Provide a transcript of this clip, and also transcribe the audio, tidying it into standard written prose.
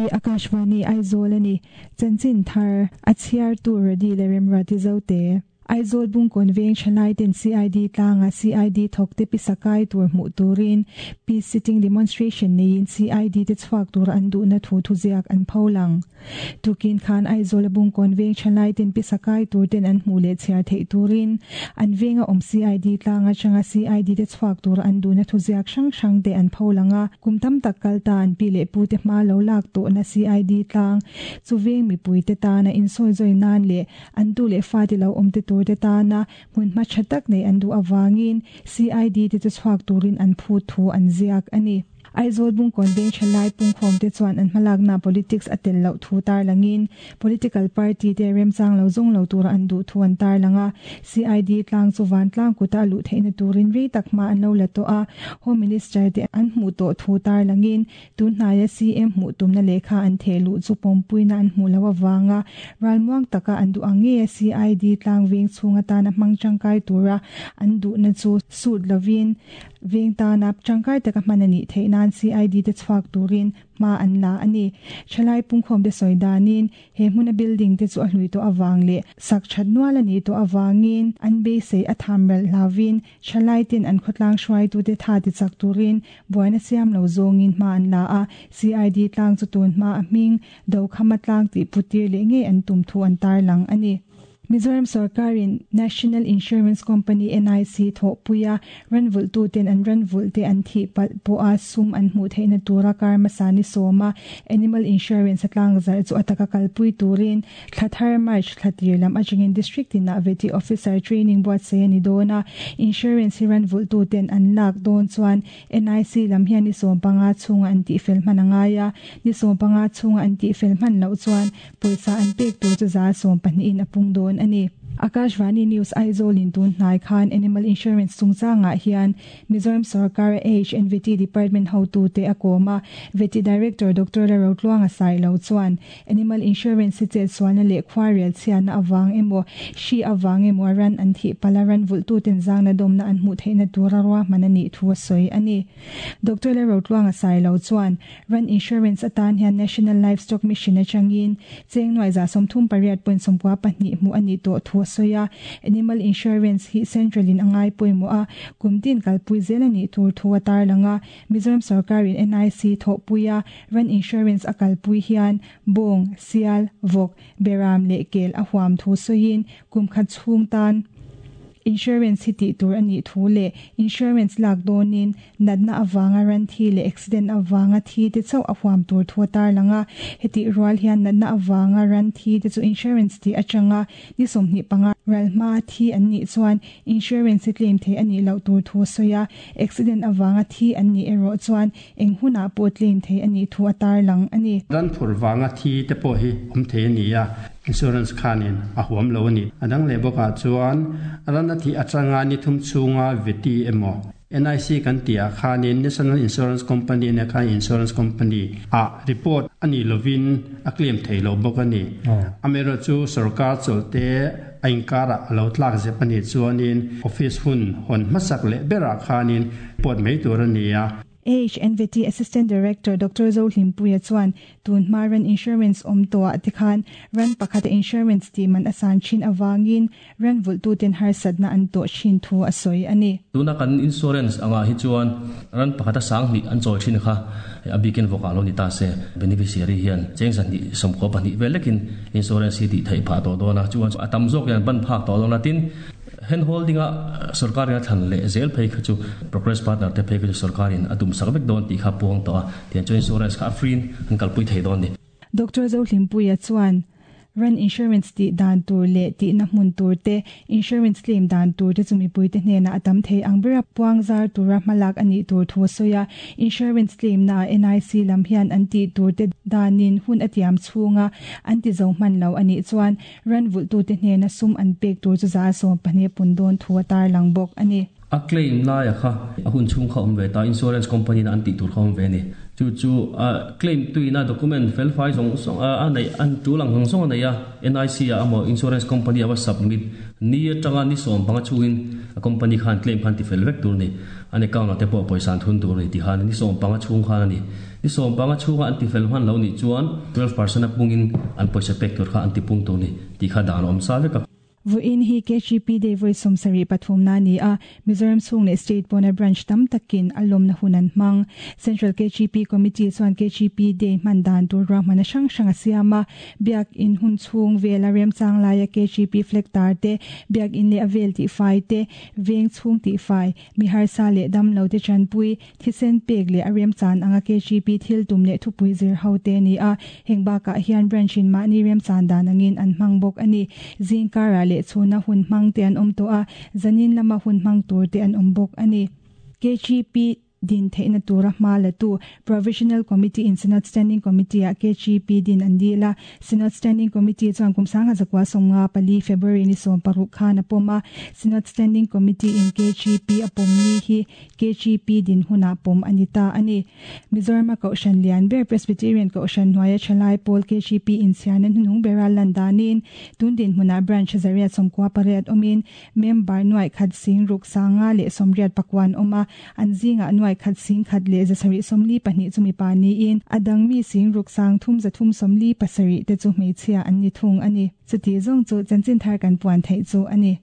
Hei hi Akashvani Aizawl a ni. Chanchin thar a chhiartu Rody leh Remruati Zote. Aizawl Bungkawn veng thalai ten CID tlanga CID thawkte pisa kai tur hmuh turin Peace Sitting Demonstration neiin CID te chhuak tura an duhna thu thuziak an pho lang. Tukin khan Aizawl a Bungkawn veng thalai ten pisa kai tur ten an hmuh leh chhiar theih turin an venga awm CID tlang atanga CID te chhuak tura an duhna thuziak hrang hrang te an pho lang a. Kum tam tak kal ta an pi leh pu te hma lo lak tawhna CID tlang chu veng mipui te tana insawizawi nan leh an tu leh fate lo awm te tur te tana hmunhma tha tak nei an duh avangin CID te chu chhuak turin an phut thu an ziak a ni. Aizawl Bungkawn veng thalai pungkhawm te chuan an hmalakna politics a tel loh thu tarlangin political party te remchang lo zawng lo tura an duh thu an tarlang a. CID tlang chu vantlang kuta a luh theihna turin rei tak hma an lo la tawh a, Home Minister te an hmuh tawh thu tarlangin Tunhnaia CM hmuh tumna lehkha an theh luh chu pawmpuina an hmuh loh avanga ralmuang taka an duh ang nge CID tlang veng chhung atana hmang tangkai tura an duhna chu sut lovin veng tana tangkai taka hman a nih theih nan CID te chhuak turin hma an la a ni. Thalai pungkhawmte sawi danin He hmuna building te chu a hlui tawh avang leh sak that nual a nih tawh avangin an beisei a tham ralh hlauvin thalai ten an khawtlang hruaitute tha ti chak turin buaina siam lo zawngin hma an la a, CID tlang chu tun hma a hming Dokhama tlang tih putir leh ngei an tum thu an tarlang a ni. Mizoram sorkarin National Insurance Company, NIC, thawhpuia ranvulhtuten an ranvulhte an thih palh pawha sum an hmuh theihna tura kar hmasa ni sawma Animal Insurance a tlangzarh chu a taka kalpui turin thla thar March thla tir lam atangin District tinah Vety Officer Training buatsaih a ni dawn a, Insurance hi ranvulhtuten an lak dawn chuan NIC lam hian ni 15 chhunga an tihfel hman a ngai a, ni 15 chhunga an tihfel hman loh chuan Pawisa an pek tur chu 18% in a pung dawn a ni. Akashvani News Aizawl in tun hnai khan Animal Insurance chungchangah hian Mizoram sorkar HNVT Department hotute a kawm a, Vety Director Doctor La Rotluanga Sailo chuan Animal Insurance hi chetsualna leh khuarel chhiatna avang emaw, hri avang emaw a ran an thih palh a ran vulhtuten zangna dawmna an hmuh theihna tura ruahman a nih thu a sawi a ni. Doctor La Rotluanga Sailo chuan Ran Insurance atan hian National Livestock Mission atangin cheng nuai 38.92 hmuh a nih tawh thu a sawi a. Animal Insurance hi Central in a ngai pawimawh a, kum tin kalpui zel a nih tur thu a tarlang a. Mizoram sorkarin NIC thawhpuia Ran Insurance a kalpui hian bawng, sial, vawk, beram leh kel a huam thu sawiin kum khat chhung tan Insurance hi tih tur a nih thu leh insurance lak dawnin natna avanga ran thi leh accident avanga thi te chauh a huam tur thu a tarlang a. Hetih rual hian natna avanga ran thi te chu insurance tih atanga ni 25 ral hmaa thi an nih chuan insurance hi claim thei a nih loh tur thu a sawi a. Accident avanga thi an nih erawh chuan eng hunah pawh claim thei a nih thu a tarlang a ni. Ran phurh vanga thi te pawh hi awm thei a ni a. Insurance khanin a huam lo a ni. A dang leh bawkah chuan ran a thih atanga ni thum chhunga veti emaw NIC kan tih ah khanin National Insurance Company nia khan Insurance Company ah report a nih lovin a claim thei lo bawk a ni. Amaherawhchu sorkar chawlhte a inkarah a lo tlak zep a nih chuanin office hun hawn hmasak leh berah khanin report mai tur a ni a. AHNVT Assistant Director Doctor Zohlimpuia chuan tun hma ran insurance awm tawhah te khan ran pakhata insurance tih man a san thin avangin ran vulhtuten harsatna an tawh thin thu a sawi a ni. Tuna kan insurance angah hi chuan ran pakhata 2000 an chawi thin kha a bikin vawkah lo ni ta se beneficiary hian cheng 292 vel lekin insurance hi tih theih phah tawh dawn a, chuan a tam zawk hian ban phak tawh dawn a tin. Hand holding a sorkarin a thlan leh zel phei kha chu progress partner te phei kha chu sorkarin a tum sak vek dawn tih kha puang tawh a, tiang chuan insurance kha a free in an kalpui thei dawn a ni. Doctor Zohlimpuia chuan ran insurance tih dan tur leh tihna hmun tur te, insurance claim dan tur te chu mipuite hnenah a tam thei ang bera puang zar tura hmalak a nih tur thu a sawi a. Insurance claim naah NIC lam hian an tih tur te danin hun a tiam chhunga an ti zo hman lo a nih chuan Ran vulhtute hnena sum an pek tur chu 15% pun dawn thu a tarlang bawk a ni. A claim laia kha a hun chhung kha awm ve ta, insurance company-na an tih tur kha awm ve a ni. Chu chu claim tuina document fel fai zawng zawng a neih an tul ang zawng zawng a nei a, NIC ah emaw insurance company a va submit ni atanga ni 15 chhungin a company khan claim khan ti fel vek tur a ni. An account ah te pawh pawisa an thun tur a ni tih khan ni 15 chhung khan a ni. Ni 15 chhunga an ti fel hman lo nih chuan 12% a pungin an pawisa pek tur kha an ti pung tur a ni tih kha dan a awm sa vek a. Vawiin hi KGP Day vawi 73 na a ni a, Mizoram chhung leh state pawna branch tam takin a lawmna hun an hmang. Central KGP Committee chuan KGP Day hman dan tur ruahmanna hrang hrang a siam a, Biak In hun chhung vela remchang laia KGP flag tar te, Biak In leh a vel tihfai te, veng chhung tihfai, mi harsa leh damlo te tanpui, Thisen pek leh a remchan anga KGP thil tum leh thupui zir ho te a ni a, heng bakah hian branch in mahni remchan dan angin an hmang bawk a ni. Zing karah leh chhuna hun hmang te an awm tawh a, zanin lama hun hmang tur te an awm bawk a ni. KGP din theihna tura hma la tu Provisional Committee in Synod Standing Committee ah KGP din an dil a, Synod Standing Committee chuan kum 1994 February ni 16 khan a pawm a, Synod Standing Committee in KGP a pawm ni hi KGP din hunah pawm a ni ta a ni. Mizorama Kohhran lian ber Presbyterian Kohhran hnuaia thalai pawl KGP inchhiarna hnuhnung bera lan danin tun dinhmunah Branch 198 awmin member 1,688 awm a, an zingah 1,172 chu mipa niin a dang mi 6,337 te chu hmeichhia an ni thung a ni. Chuti zawng chu chanchin thar kan puan theih chu a ni.